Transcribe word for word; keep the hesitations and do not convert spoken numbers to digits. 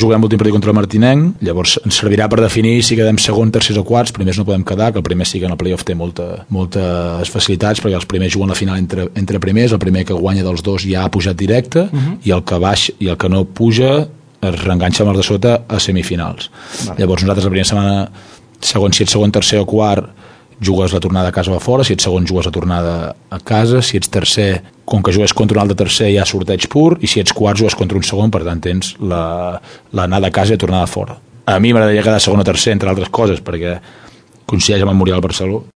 Juguem l'últim partit contra el Martinenc, llavors ens servirà per definir si quedem segon, tercers o quarts. Primers no podem quedar, que el primer sí que en el playoff té molta, moltes facilitats, perquè els primers juguen la final entre, entre primers, el primer que guanya dels dos ja ha pujat directe, uh-huh. i el que baix i el que no puja es reenganxa amb els de sota a semifinals. Vale. Llavors nosaltres la primera setmana, segon, si ets segon, tercer o quart, jugues la tornada a casa o a fora, si ets segon jugues la tornada a casa, si ets tercer, com que jugues contra un altre tercer hi ha sorteig pur, i si ets quart jugues contra un segon, per tant tens l'anada a casa i la tornada a fora. A mi m'agradaria quedar segon o tercer, entre altres coses, perquè coincideix amb el Muriel Barceló.